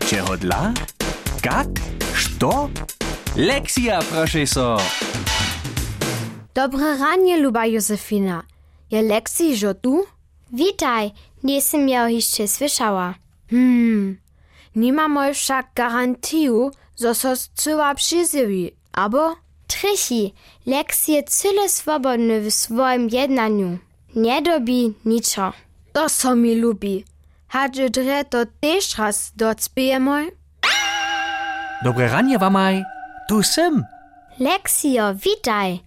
Čeho dla? Kak? Što? Lekcja, profesor. Dobre ranie, luba Józefina. Je Leksio tu? Witaj, nie sam ja jeszcze słyszała. Nimamo však garantiju, zo so cyła przyzywi, abo? Trysi, Leks je cyle swobodny w swoim jednaniu. Nie dobi niczo. To so mi lubi. Hadže dre to tež raz docpijemoj? Dobre ranie, wamaj. Tu sem. Leksio, witaj.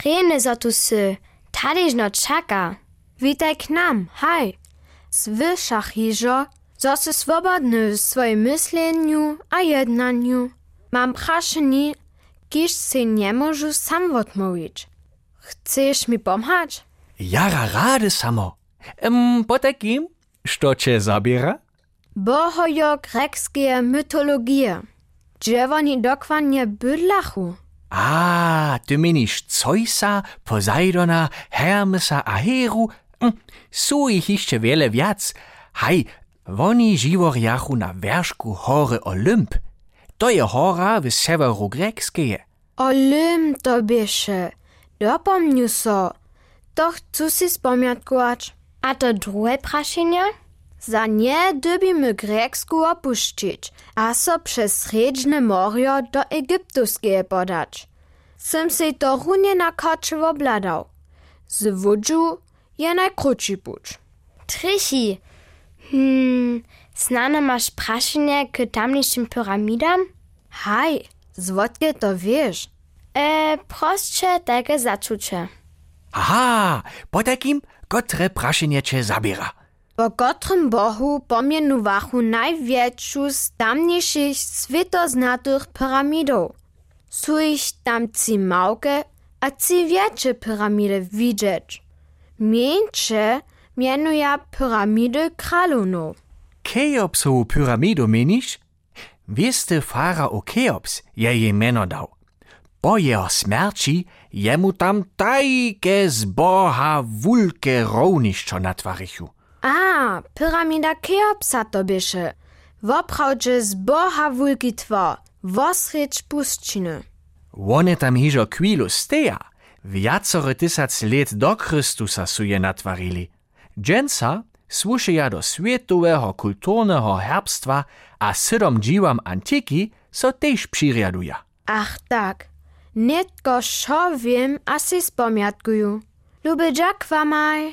Rene zo tu sy. Tadyż no czeka. Witaj k nam, haj. Słyszach hižo, zo sy swobodny w swoim myśleniu a jednaniu. Mam praszeni, kiż se nie możu sam odmówić. Chcesz mi pomhać? Jara rade samo. Potakim, što cię zabiera? Bohojo-grekskie mytologie. Gdzie oni dokładnie bydlachu? Ty menisz Zeusa, Poseidona, Hermesa a Heru? Su ich jeszcze wiele wiac. Haj, oni żyworjachu na wierzchu hory Olymp. To je hora w severu grekskie. Olymp to bieše. Dopomnju so. To chcú si spomiatkować. A to drugie praszenie? Za nie dybimy Greksku opuścić, a so przez Sredźne Morio do Egiptuskie podać. Sem se to runie na koczy obladał. Z wódżu je najkrótszy puć. Trysi, znane masz praszenie k tamniejszym pyramidam? Haj, zwodkie to wiesz. Prostsze takie zaczucie. Aha, po takim, kotre praszenie cię zabiera. Po kotrym bohu pomienuwachu największą z tamniejszych światoznatych pyramidów. Są ich tam ci małe, a ci większe piramidy widzieć. Mniejsze mienuje piramidy kralunów. Cheopsowu pyramidu menisz? Wieste farao Cheops je jej meno dał. Po jeho smерci jemu tam tajke z boha wulke równiszczo natwarichu. Pyramida Cheopsa to bieše. Woprawdźe z boha wulki twar, wosrycz puszczyny. One tam hižo chwilu steja. Viacore tysac let do Chrystusa su je natwarili. Dženca słušeja do światowego kulturnego herbstwa, a 7 dziwam antiki so tež přiriaduja. Ach tak, netko šo wiem, a si spomiatkuju. Lube dziak wamaj.